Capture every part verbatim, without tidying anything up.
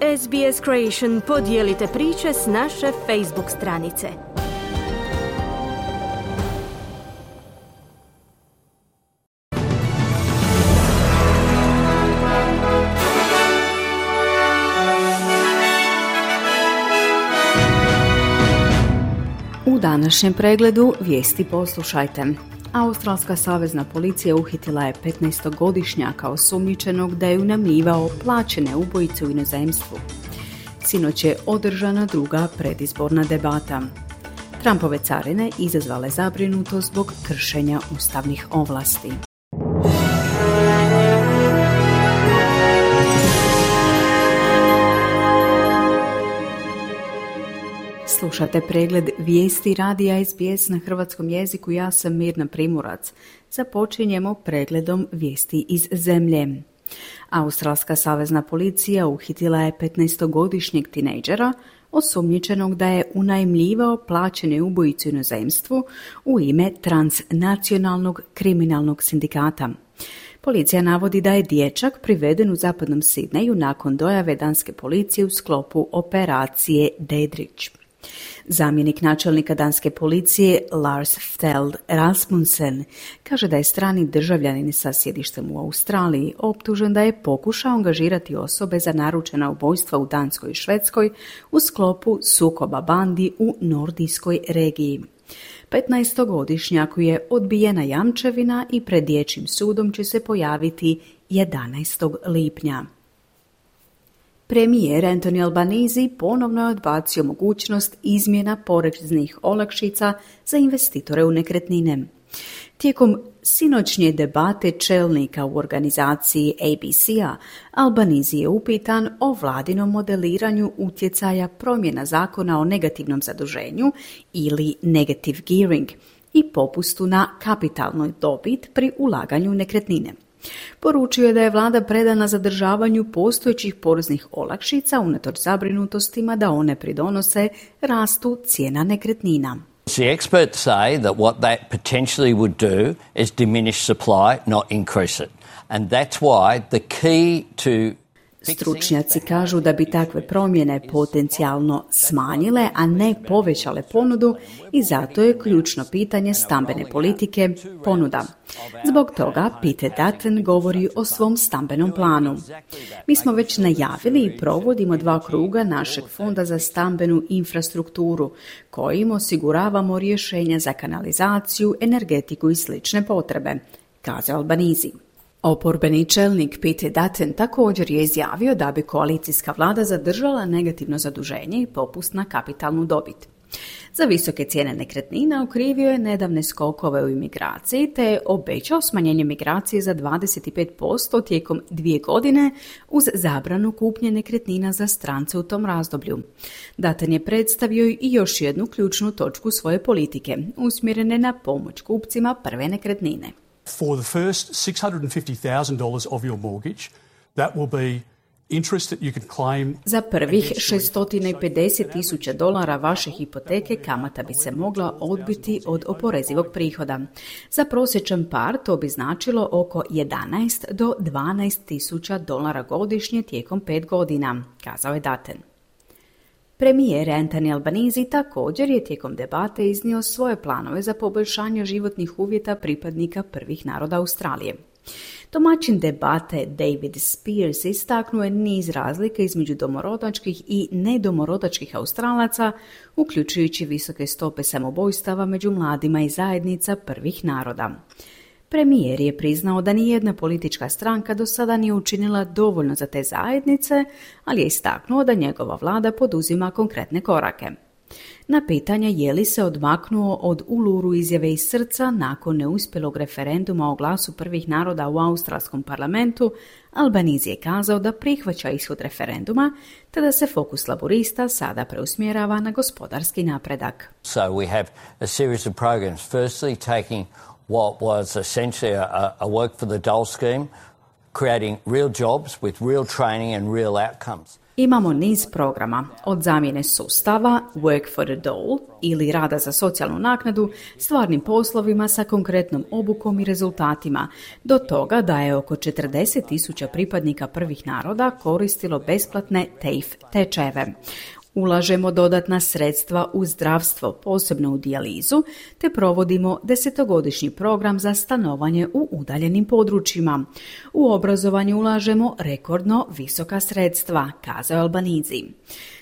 S B S Creation podijelite priče s naše Facebook stranice. U današnjem pregledu vijesti poslušajte. Australska savezna policija uhitila je petnaestogodišnjaka osumnjičenog da je unajmljivao plaćene ubojice u inozemstvu. Sinoć je održana druga predizborna debata. Trumpove carine izazvale zabrinutost zbog kršenja ustavnih ovlasti. Slušate pregled vijesti radija S B S na hrvatskom jeziku. Ja sam Mirna Primorac. Započinjemo pregledom vijesti iz zemlje. Australska savezna policija uhitila je petnaestogodišnjeg tinejdžera osumnjičenog da je unajmljivao plaćene ubojice u inozemstvu u ime transnacionalnog kriminalnog sindikata. Policija navodi da je dječak priveden u zapadnom Sidneju nakon dojave danske policije u sklopu operacije Dedrić. Zamjenik načelnika danske policije Lars Feld Rasmussen kaže da je strani državljanin sa sjedištem u Australiji optužen da je pokušao angažirati osobe za naručena ubojstva u Danskoj i Švedskoj u sklopu sukoba bandi u nordijskoj regiji. petnaestogodišnjaku je odbijena jamčevina i pred dječjim sudom će se pojaviti jedanaestog lipnja. Premijer Anthony Albanese ponovno je odbacio mogućnost izmjena poreznih olakšica za investitore u nekretnine. Tijekom sinoćnje debate čelnika u organizaciji A B C-a, Albanese je upitan o vladinom modeliranju utjecaja promjena zakona o negativnom zaduženju ili negative gearing i popustu na kapitalnoj dobit pri ulaganju u nekretnine. Poručio je da je vlada predana zadržavanju postojećih poreznih olakšica unatoč zabrinutostima da one pridonose rastu cijena nekretnina. The experts say that what that potentially would do is diminish supply, not increase it. And that's why the key to Stručnjaci kažu da bi takve promjene potencijalno smanjile, a ne povećale ponudu i zato je ključno pitanje stambene politike ponuda. Zbog toga Peter Dutton govori o svom stambenom planu. Mi smo već najavili i provodimo dva kruga našeg fonda za stambenu infrastrukturu, kojim osiguravamo rješenja za kanalizaciju, energetiku i slične potrebe, kazao Albanese. Oporbeni čelnik Peter Dutton također je izjavio da bi koalicijska vlada zadržala negativno zaduženje i popust na kapitalnu dobit. Za visoke cijene nekretnina okrivio je nedavne skokove u imigraciji te je obećao smanjenje migracije za dvadeset pet posto tijekom dvije godine uz zabranu kupnje nekretnina za strance u tom razdoblju. Dutton je predstavio i još jednu ključnu točku svoje politike, usmjerene na pomoć kupcima prve nekretnine. For the first six hundred fifty thousand dollars of your mortgage, that will be interest that you can claim. Za prvih šesto pedeset tisuća dolara vaše hipoteke kamata bi se mogla odbiti od oporezivog prihoda. Za prosječan par to bi značilo oko jedanaest do dvanaest tisuća dolara godišnje tijekom pet godina, kazao je Dutton. Premijer Anthony Albanese također je tijekom debate iznio svoje planove za poboljšanje životnih uvjeta pripadnika prvih naroda Australije. Domaćin debate David Spears istaknuo je niz razlika između domorodačkih i nedomorodačkih Australaca, uključujući visoke stope samoubojstava među mladima i zajednica prvih naroda. Premijer je priznao da nijedna politička stranka do sada nije učinila dovoljno za te zajednice, ali je istaknuo da njegova vlada poduzima konkretne korake. Na pitanje je li se odmaknuo od Uluru izjave iz srca nakon neuspjelog referenduma o glasu prvih naroda u australskom parlamentu, Albanese je kazao da prihvaća ishod referenduma, te da se fokus laborista sada preusmjerava na gospodarski napredak. So we have a series of programs. Firstly, taking what was essentially a, a work for the dole scheme, creating real jobs with real training and real outcomes. Imamo niz programa, od zamjene sustava, work for a dole, ili rada za socijalnu naknadu, stvarnim poslovima sa konkretnom obukom i rezultatima, do toga da je oko četrdeset tisuća pripadnika prvih naroda koristilo besplatne T A I F tečajeve. Ulažemo dodatna sredstva u zdravstvo, posebno u dijalizu, te provodimo desetogodišnji program za stanovanje u udaljenim područjima. U obrazovanje ulažemo rekordno visoka sredstva, kazao je Albanizi.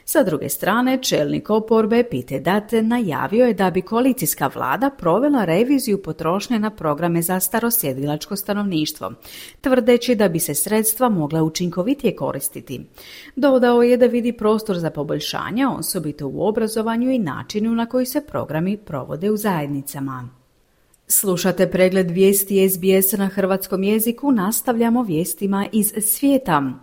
Sa druge strane, čelnik oporbe Peter Dutton najavio je da bi koalicijska vlada provela reviziju potrošnje na programe za starosjedilačko stanovništvo, tvrdeći da bi se sredstva mogla učinkovitije koristiti. Dodao je da vidi prostor za poboljšanja, osobito u obrazovanju i načinu na koji se programi provode u zajednicama. Slušate pregled vijesti S B S na hrvatskom jeziku, nastavljamo vijestima iz svijeta.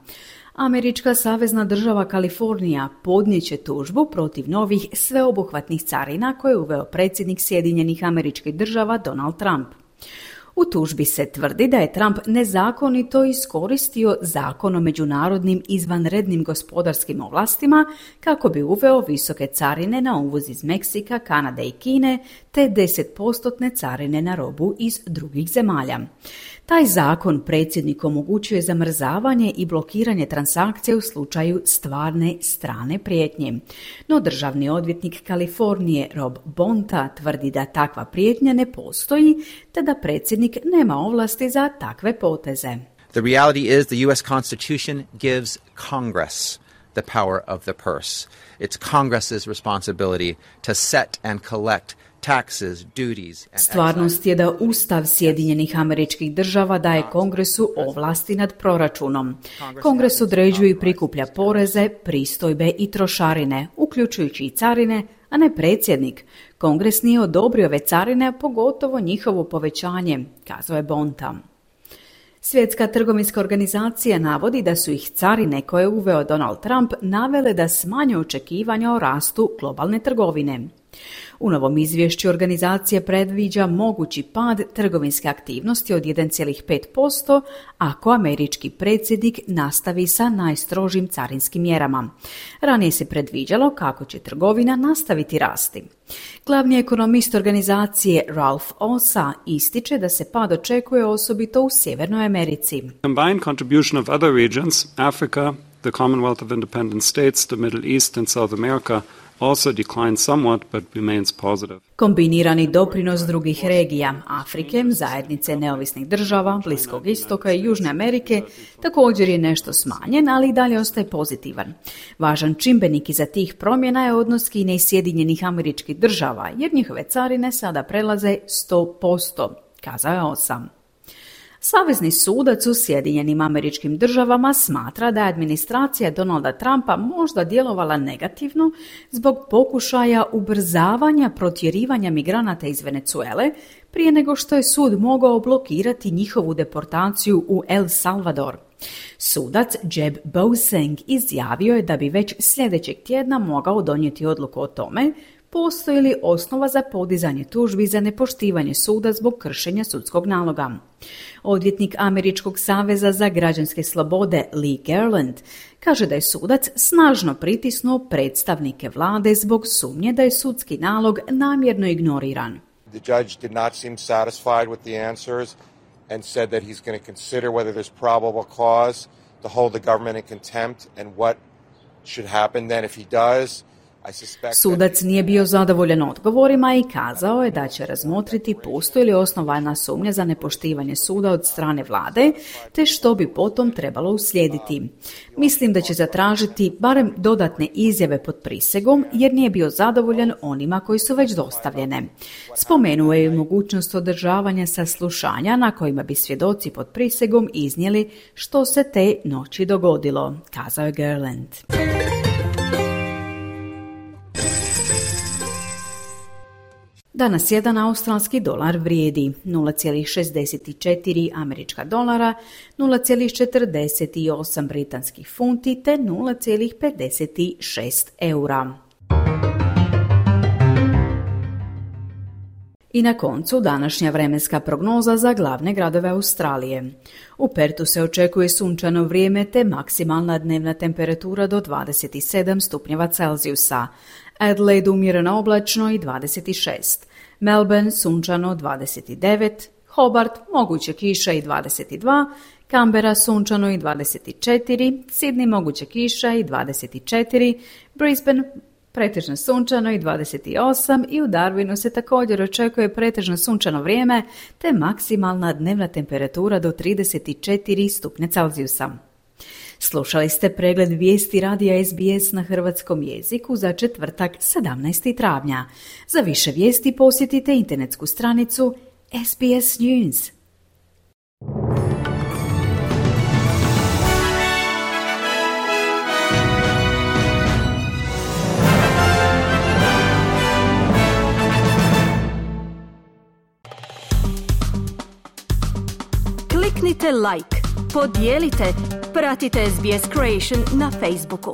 Američka savezna država Kalifornija podnijet će tužbu protiv novih sveobuhvatnih carina koje je uveo predsjednik Sjedinjenih Američkih Država Donald Trump. U tužbi se tvrdi da je Trump nezakonito iskoristio zakon o međunarodnim izvanrednim gospodarskim ovlastima kako bi uveo visoke carine na uvoz iz Meksika, Kanade i Kine te deset posto carine na robu iz drugih zemalja. Taj zakon predsjedniku omogućuje zamrzavanje i blokiranje transakcija u slučaju stvarne strane prijetnje. No državni odvjetnik Kalifornije Rob Bonta tvrdi da takva prijetnja ne postoji te da predsjednik nema ovlasti za takve poteze. The reality is the U S Constitution gives Congress the power of the purse. It's Congress's responsibility to set and collect taxes, duties, and Stvarnost je da Ustav Sjedinjenih Američkih Država daje Kongresu ovlasti nad proračunom. Kongres određuje i prikuplja poreze, pristojbe i trošarine, uključujući i carine, a ne predsjednik. Kongres nije odobrio ove carine, pogotovo njihovo povećanje, kazao je Bonta. Svjetska trgovinska organizacija navodi da su ih carine koje je uveo Donald Trump navele da smanje očekivanja o rastu globalne trgovine. U novom izvješću organizacija predviđa mogući pad trgovinske aktivnosti od jedan zarez pet posto ako američki predsjednik nastavi sa najstrožim carinskim mjerama. Ranije se predviđalo kako će trgovina nastaviti rasti. Glavni ekonomist organizacije Ralph Osa ističe da se pad očekuje osobito u Sjevernoj Americi. Combined contribution of other regions, Africa, the Commonwealth of Independent States, the Middle East and South America, also declined somewhat but remains positive. Kombinirani doprinos drugih regija, Afrike, zajednice neovisnih država, Bliskog istoka i Južne Amerike također je nešto smanjen, ali i dalje ostaje pozitivan. Važan čimbenik iza tih promjena je odnos Kine i Sjedinjenih Američkih Država, jer njihove carine sada prelaze sto posto, kazao je Osam. Savezni sudac u Sjedinjenim Američkim Državama smatra da je administracija Donalda Trumpa možda djelovala negativno zbog pokušaja ubrzavanja protjerivanja migranata iz Venezuele prije nego što je sud mogao blokirati njihovu deportaciju u El Salvador. Sudac Jeb Bouseng izjavio je da bi već sljedećeg tjedna mogao donijeti odluku o tome postoji li osnova za podizanje tužbi za nepoštivanje suda zbog kršenja sudskog naloga. Odvjetnik Američkog saveza za građanske slobode Lee Garland kaže da je sudac snažno pritisnuo predstavnike vlade zbog sumnje da je sudski nalog namjerno ignoriran. The judge did not seem satisfied with the answers and said that he's going to consider whether there's probable cause to hold the government in contempt and what should happen then if he does. Sudac nije bio zadovoljan odgovorima i kazao je da će razmotriti postoji li osnovana sumnja za nepoštivanje suda od strane vlade, te što bi potom trebalo uslijediti. Mislim da će zatražiti barem dodatne izjave pod prisegom, jer nije bio zadovoljan onima koji su već dostavljene. Spomenuo je mogućnost održavanja saslušanja na kojima bi svjedoci pod prisegom iznijeli što se te noći dogodilo, kazao je Garland. Danas jedan australski dolar vrijedi nula zarez šezdeset četiri američka dolara, nula zarez četrdeset osam britanskih funti te nula zarez pedeset šest eura. I na koncu današnja vremenska prognoza za glavne gradove Australije. U Pertu se očekuje sunčano vrijeme te maksimalna dnevna temperatura do dvadeset sedam stupnjeva Celzijusa. Adelaide umjereno oblačno i dvadeset šest. Melbourne sunčano dvadeset devet. Hobart moguće kiša i dvadeset dva. Canberra sunčano i dvadeset četiri. Sydney moguće kiša i dvadeset četiri. Brisbane pretežno sunčano i dvadeset osam i u Darwinu se također očekuje pretežno sunčano vrijeme te maksimalna dnevna temperatura do trideset četiri stupnja Celzijusa. Slušali ste pregled vijesti radija S B S na hrvatskom jeziku za četvrtak sedamnaestog travnja. Za više vijesti posjetite internetsku stranicu S B S News. Kliknite like, podijelite, pratite S B S Creation na Facebooku.